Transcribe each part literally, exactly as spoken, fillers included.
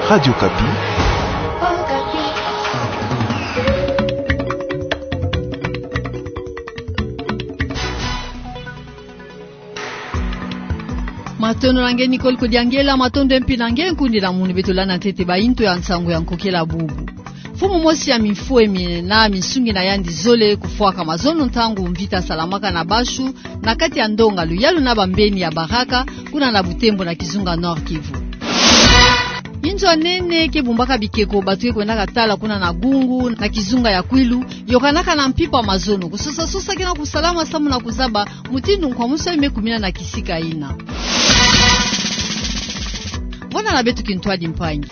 Radio Okapi. Matondo na nge Nicole Kodiangela, matondo mpe na nge nkundi na munu beto landa ntete ba intu ya nsangu ya nkokela bubu. Mfumu mosi ya mifwemi na minsungi na yandi zole kufwaka mazono ntangu mvita salamaka na Bashu, na kati ya ndonga luyalu na bambeni ya Baraka, kuna na Butembo na kizunga Nord-Kivu. Inzo ya nene ke bumbaka bikeko bato ke kwendaka tala kuna na Gungu, na kizunga ya Kwilu, yokanaka na mpimpa mazono. Kusosa-sosa ke na kusalama samu na kuzaba mutindu nkwamusu yayi me kumina na kisika yina. Vwanda na beto kintwadi mpangi.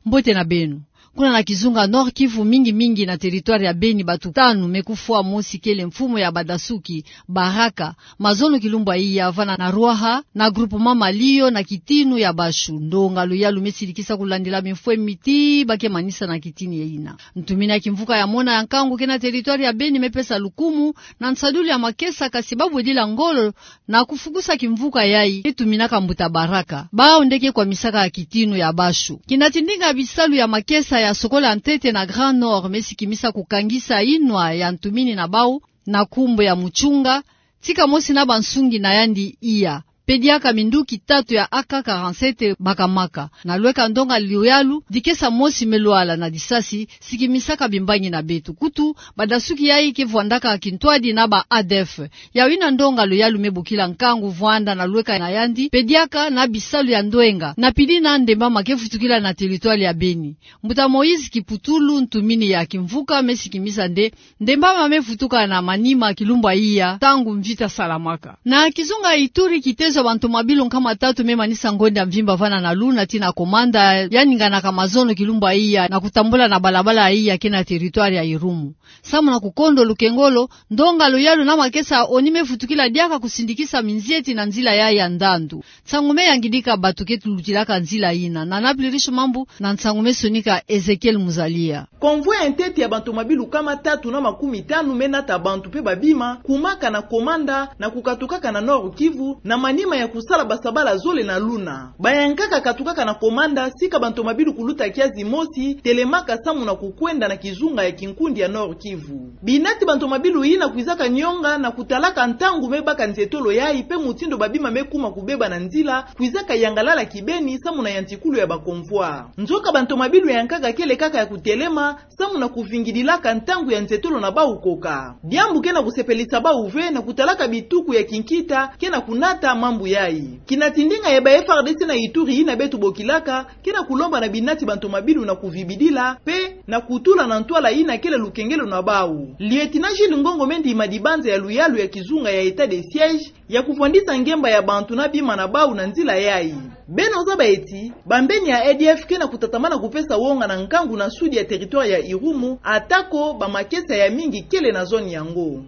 Mbote na beno. Kuna na kizunga Nord-Kivu, mingi-mingi na territoire ya Beni, bato tanu me kufwa, mosi kele mfumu ya badasuki, Baraka, mazono kilumbu ya iya vana na Ruaha, na groupement Malio, na kitinu ya Bashu. Ndonga luyalu me sidikisa kulandila mifwemi tii ba ke manisa na kitini yina. Ntumini ya kimvuka ya mona ya nkangu ke na territoire ya Beni me pesa lukumu na nsadulu ya makesa, kasi ba bwedila ngolo na kufukusa kimvuka yayi ke tuminaka mbuta Baraka, bawu nde ke kwamisaka kitinu ya Bashu. Kina ti ndinga bisalu ya makesa ya sokola ntete na Grand Nord me sikimisa kukangisa inwa ya ntumini na bawu, na nkumbu ya Muchunga, tika mosi na bansungi na yandi iya. Pe diaka minduki tatu ya A K quarante-sept bakamaka. Na lweka ndonga luyalu, dikesa mosi me lwala na disasi, sikimisaka bimbangi na beto. Kutu, badasuki yayi ke vwandaka kintwadi na ba A D F. Yawu yina ndonga luyalu me bokila nkangu vwanda na lweka na yandi, pe diaka na bisalu ya ndwenga, na pili na ndembama ke vutukila na territoire ya Beni. Mbuta Moïse Kiputulu, ntumini ya kimvuka, me sikimisa nde ndembama me vutuka na Maniema kilumbu ya iya, ntangu mvita salamaka. Na kizunga Ituri, kitezo ya bantu mabilu nkama tatu me manisa ngonda mvimba vana na Luna tii na Komanda, ya ninganaka mazono kilumbu ya iya, na kutambula na balabala ya iya ke na territoire ya Irumu. Samu na kukondo lukengolo, ndonga luyalu na makesa ya ONU me vutukila diaka kusindikisa minzieti na nzila yayi ya ndandu. Nsangu me yangidika bato ke lutilaka nzila yina. Na Napoli Riche Mambu, na nsangu me sonika Ezekiel Muzalia. Convoi ya ntete ya bantu mabilu nkama tatu na makumi tanu me nata bantu pe babima, kumaka na Komanda, na kukatukaka na Nord-Kivu, na manima ya kusala basabala zole na Luna. Bayankaka katukaka na Komanda, sika bantu mabilu kuluta kiazi mosi, telemaka samu na kukwenda na kizunga ya kinkundi ya Nord-Kivu. Binati bantu mabilu yina kwizaka nyonga na kutalaka ntangu me baka nzietolo yayi pe mutindu babima me kuma kubeba na nzila, kwizaka yangalala kibeni samu na yantikulu ya ba convoi. Nzoka bantu mabilu yankaka kele kaka ya kutelema, samu na kuvingidilaka ntangu ya nzietolo na bawu koka. Diambu ke na kusepelisa bawu ve na kutalaka bituku ya kinkita ke na kunata mambu yayi. Kina ti ndinga ya ba F A R D C na Ituri yina beto bokilaka, ke na kulomba na binati bantu mabilu na kuvibidila, pe na kutula na ntwala yina kele lukengelo na bawu. Lieutenant Jules Ngongo me ndima dibanza ya luyalu ya kizunga ya état de siège, ya kuvwandisa ngemba ya bantu na bima na bawu na nzila yayi. Beno zaba ti, bambeni ya A D F ke na kutatamana kupesa wonga na nkangu na sud ya territoire ya Irumu, ata ko ba makesa ya mingi kele na zone yango.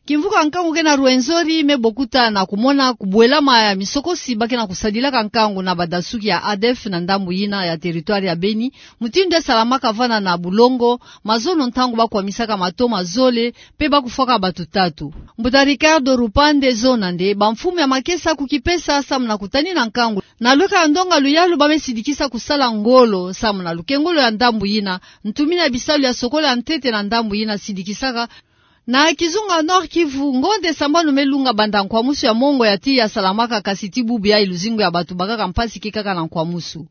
Kimvuka nkangu ke na Rwenzori me bokuta na kumona kubwelama ya misokosi ba ke na kusadilaka nkangu na badasuki ya A D F na ndambu yina ya territoire ya Beni, mutindu ya salamaka vana na Bulongo, mazono ntangu ba kwamisaka matoma zole, pe ba kufwaka bato tatu. Mbuta Ricardo Rupande zona nde, bamfumu ya makesa kukipesa samu na kutanina nkangu. Na lweka ya ndonga luyalu ba me sidikisa kusala ngolo, samu na lukengolo ya ndambu yina, ntumini ya bisalu ya sokola ntete na ndambu yina sidikisaka. Na kizunga Nord-Kivu, ngonde sambanu me lunga banda nkwamusu ya mongo ya tii ya salamaka, kasi tii bubu yayi luzingu ya bato bakaka mpasi ke kaka na nkwamusu.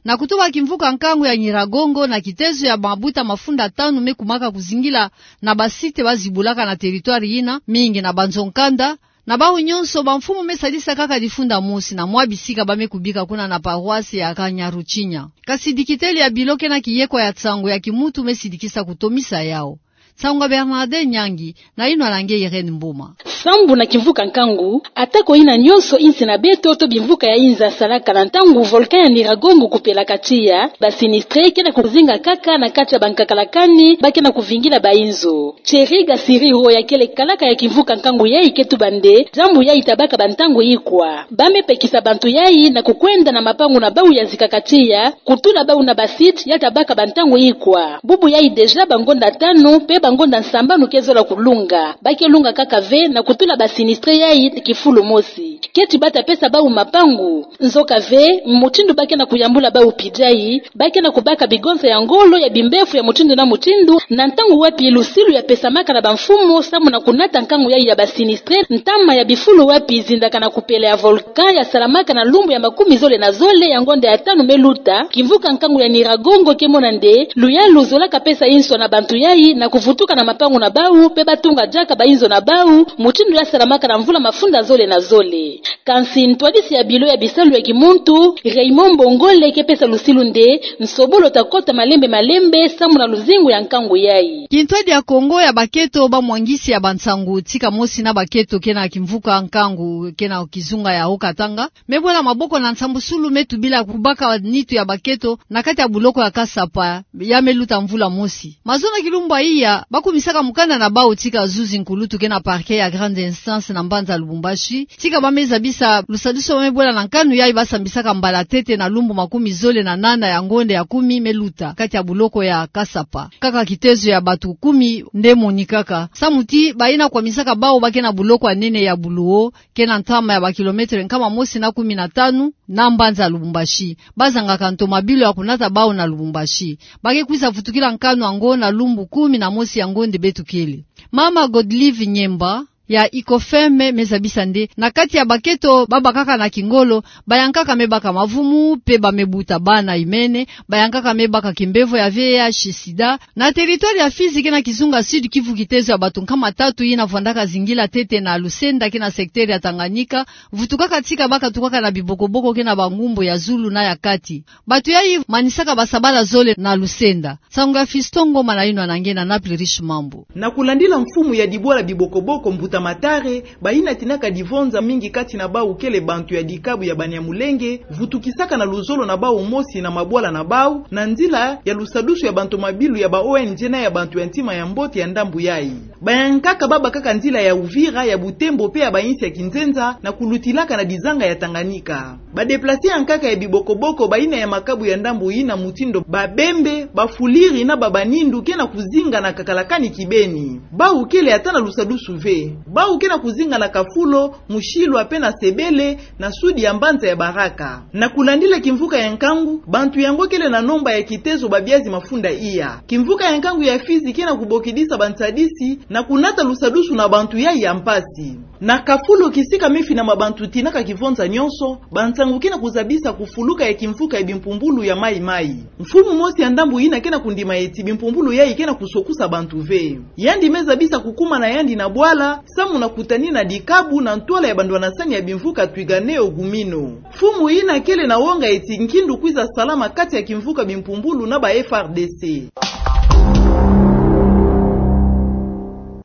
Na kutuba kimvuka nkangu ya Nyiragongo, na kitezo ya mabuta mafunda tanu me kumaka kuzingila na ba site ba zibulaka na territoire yina, mingi na banzo nkanda, na bawu nyonso bamfumu me sadisa kaka difunda mosi na mwa bisika ba me kubika kuna na paroisse ya Kanyaruchinya. Kasi dikiteli ya bilo ke na kiyekwa ya nsangu ya kimuntu me sidikisa kutomisa yawu. Nsangu ya Bernardin Nyangi, na yinwa na nge Irène Mboma. Sambu na kimvuka nkangu, ata ko yina nyonso insi na beto to bimvuka ya inza salaka na ntangu volcan ya Nyiragongo kupelaka tiya, ba sinistre ke na kuzinga kaka na kati ya bankakalakani ba ke na kuvingila ba inzo. Thierry Gasiriro ya kele kalaka ya kimvuka nkangu yayi ke tuba nde, diambu yayi ta baka ba ntangu ikwa. Ba me pekisa bantu yayi na kukwenda na mapangu na bawu ya zikaka tiya, kutula bawu na ba site ya ta baka ba ntangu ikwa. Bubu yayi déjà bangonda tanu pe bangonda sambanu ke zola kulunga. Ba ke lunga kaka ve na kutula ba sinistre yayi kifulu mosi. Keti bata pesa bau mapangu. Nzoka ve, mutindu ba ke na kuyambula bau pidai, ba ke na kubaka bigonza ya ngolo ya bimbefu ya mutindu na mutindu, na ntangu wapi lusilu ya pesamaka na bamfumu samu na kunata nkangu yayi ya ba sinistre, ntama ya bifulu wapi zindakana kupela ya volcan ya salamaka na lumbu ya makumi zole na zole ya ngonda ya tanu me luta, kimvuka nkangu ya Nyiragongo ke mona nde luyalu zolaka pesa inso na bantu yayi na kuvutuka na mapangu na bau, pe ba tunga diaka ba inzo na bau, mutindu ya salamaka na mvula mafunda zole na zole. Kansi ntwadisi ya bilo ya bisalu ya kimuntu, Raymond Mbongole ke pesa lusilu nde, nsobolo ta kota malembe malembe, samu na luzingu ya nkangu yayi. Kintwadi ya Kongo ya baketo ba mwangisi ya bansangu, tika mosi na baketo ke na kimvuka nkangu, ke na kizunga ya Haut-Katanga, me bwela maboko na nsambusulu me tubila kubaka nitu ya baketo, na kati ya buloko ya Kasapa, ya me luta mvula mosi. Mazono kilumbu ya iya, ba kumisaka mukanda na bau tika zuzi nkulutu ke na parquet ya grande instance na mbanza Lubumbashi, tika ba me zabisa lusadusu ba me bwela na nkanu yayi ba sambisaka mbala tete na lumbu makumi zole na nana ya ngonda ya kumi me luta, kati ya buloko ya Kasapa. Kaka kitezo ya batu kumi nde monikaka. Samu ti, bayina kwamisaka bau ba ke na buloko ya nene ya Buluwo, ke na ntama ya ba kilometre nkama mosi na kumi na tanu, na mbanza Lubumbashi. Ba zangaka ntomabilu ya kunata bau na Lubumbashi. Ba ke kwiza vutukila nkanu yango na lumbu kumi na mosi ya ngonda beto kele. Mama Godlive Nyemba, ya Icofem me zabisa nde, na kati ya baketo ba bakaka na kingolo, bayankaka me baka mavumu, pe ba me buta bana imene, bayankaka me baka kimbevo ya V I H sida, na territoire ya Fizi ke na kizunga Sud-Kivu kitezo ya batu nkama tatu yina vwandaka zingila tete na Lusenda ke na secteur ya Tanganyika, vutukaka tika ba katukaka na bibokoboko ke na bangumbu ya zulu na ya kati. Batu yayi manisaka basabala zole na Lusenda. Nsangu ya Fiston Ngoma na yinwa na nge na Naples Riche Mambu. Na kulandila mfumu ya dibwala bibokoboko Mbuta Matare, bayina tinaka divonza mingi kati na bau kele bantu ya dikabu ya Banyamulenge, vutukisaka na luzolo na bau mosi na mabwala na bau, na nzila ya lusadusu ya bantomabilu ya ba O N G na ya bantu ya ntima ya mbote ya ndambu yayi. Bayankaka ba bakaka nzila ya Uvira, ya Butembo pe ya bayinsi ya kinzenza, na kulutilaka na dizanga ya Tanganyika. Ba déplacer yankaka ya bibokoboko bayina ya makabu ya ndambu yina, mutindu Babembe, Bafuliri na Babanindu ke na kuzinga na Kakalakani kibeni. Bau kele ata na lusadusu ve. Bau ke na kuzinga na Kafulo, Mushilwa pe na Sebele, na sudi ya mbanza ya Baraka. Na kulandila kimvuka ya nkangu, bantu yango kele na nomba ya kitezo babiazi mafunda iya. Kimvuka ya nkangu ya Fizi ke na kubokidisa bansadisi na kunata lusadusu na bantu yayi ya mpasi. Na Kafulo, kisika me finama bantu tinaka kivonza nyonso, bansangu ke na kuzabisa kufuluka ya kimvuka ya bimpumbulu ya Mai-Mai. Mfumu mosi ya ndambu yina ke na kundima eti bimpumbulu yayi ke na kusokusa bantu ve. Yandi me zabisa kukuma na yandi na bwala, samu na kutanina dikabu na ntwala ya bandwanasani ya bimvuka Twiganeo Gumino. Mfumu yina kele na wonga eti nkindu kwiza salama kati ya kimvuka bimpumbulu na ba F A R D C.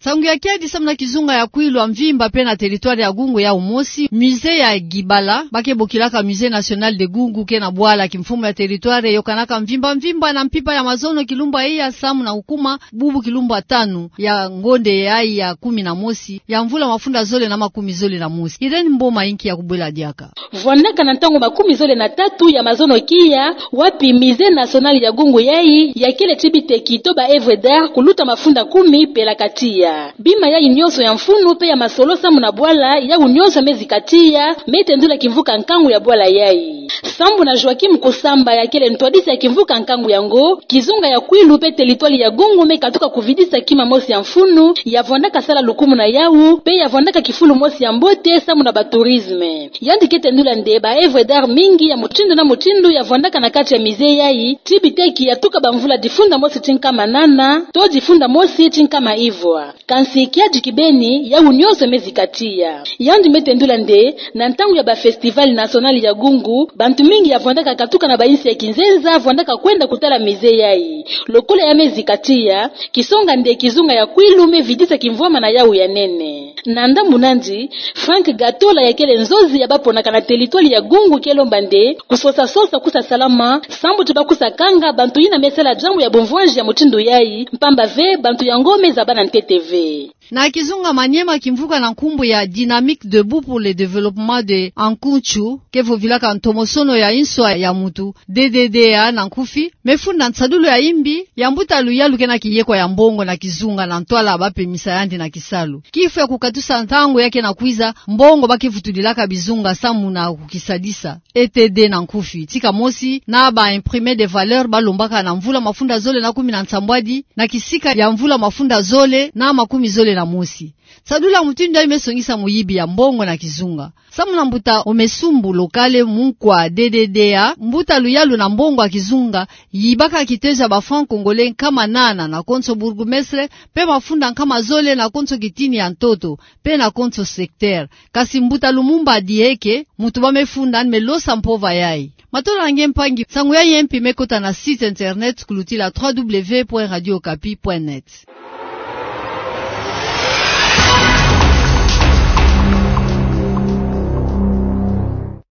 Nsangu ya kiadi samu na kizunga ya Kwilu ya mvimba pe na territoire ya Gungu ya umosi, musée ya Kibala, ba ke bokilaka Musée National de Gungu, ke na bwala kimfumu ya territoire, yokanaka mvimba mvimba na mpimpa ya mazono kilumbu ya iya samu na kukuma bubu kilumbu ya tanu ya ngonda yayi ya kumi na mosi ya mvula mafunda zole na makumi zole na mosi. Irène Mboma inki ya kubwela diaka. Vwandaka na ntangu makumi zole na tatu ya mazono kia, wapi Musée National ya Gungu yayi ya kele ti biteki to ba œuvres d'art kuluta mafunda kumi pelaka tiya. Bima yayi nyonso ya mfunu pe ya masolo samu na bwala yawu nyonso me zika tiya, me tendula kimvuka nkangu ya bwala yayi. Sambu na Joachim Kusamba ya kele ntwadisi ya kimvuka nkangu yango, kizunga ya Kwilu pe territoire ya Gungu me katuka kuvidisa kima mosi ya mfunu, ya vwandaka sala lukumu na yawu, pe ya vwandaka kifulu mosi ya mbote samu na ba tourisme. Yandi ke tendula nde ba œuvres d'art mingi ya mutindu na mutindu ya vwandaka na kati ya musée yayi, ti biteki ya tuka bamvula difunda mosi ti nkama nana, to difunda mosi ti nkama ivwa. Kansi kiadi kibeni, yawu nyonso me zika tiya. Yandi me tendula nde, na ntangu ya ba Festival National ya Gungu, bantu mingi ya vwandaka katuka na bayinsi ya kinzenza, vwandaka kwenda kutala musée yayi. Lokola ya me zika tiya, kisonga nde kizunga ya Kwilu me vidisa kimvwama na yawu ya nene. Na ndambu nandi, Franck Gatola ya kele nzozi ya baponaka na territoire ya Gungu ke lomba nde, kusosa sosa kusa salama, sambu ti ba kusa kanga bantu yina me sala diambu ya bumvwanji ya mutindu yayi, mpamba ve bantu yango me zabana ntete ve. Na kizunga, Maniema kimvuka na nkumbu ya Dynamique Debout pour le Développement de Ankuntsu, ke vovilaka ntomosono ya inswa ya mutu, D D D A na nkufi, me funda nsadulu ya imbi ya mbuta Luyalu ke na kiyekwa ya mbongo na kizunga na ntwala ba pemisa yandi na kisalu. Kifu ya kukatusa ntangu ya ke na kwiza, mbongo ba ke vutulilaka bizunga samu na kukisadisa, E T D na nkufi, tika mosi na ba imprimés de valeurs ba lombaka na mvula mafunda zole na kumi na nsambwadi, na kisika ya mvula mafunda zole na makumi zole na mosi. Nsadulu ya mutindu yayi me songisa muyibi ya mbongo na kizunga. Samu na mbuta Omesumbu Lokale, munkwa D D D A, mbuta Luyalu na mbongo ya kizunga, yibaka kitezo ya ba francs congolais nkama nana na konso bourgmestre, pe mafunda nkama zole na konso kitini ya ntoto, pe na konso secteur. Kasi mbuta Lumumba Dieke, mutu ba me funda, me losa mpova yayi. Matondo na nge mpangi, nsangu yayi ya mpi me kota na site internet kulutila trois W point radio okapi point net.